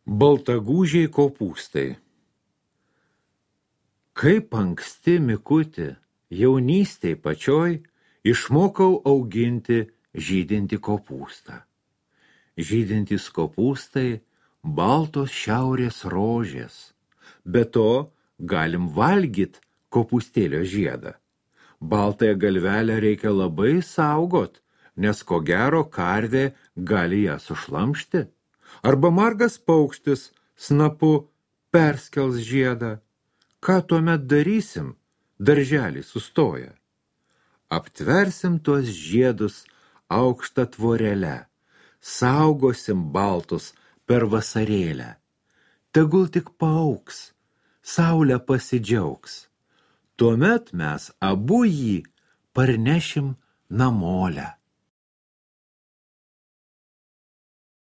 Baltagūžiai kopūstai. Kaip anksti, Mikuti, jaunystėj pačioj išmokau auginti žydintį kopūstą. Žydintys kopūstai baltos šiaurės rožės. Be to galim valgyt kopūstėlio žiedą. Baltąją galvelę reikia labai saugot, nes ko gero karvė gali ją sušlamšti. Arba margas paukštis snapu perskels žiedą. Ką tuomet darysim, darželį sustoja? Aptversim tuos žiedus aukštą tvorelę, saugosim baltus per vasarėlę. Tegul tik paaugs, saulė pasidžiaugs. Tuomet mes abu jį parnešim namolę.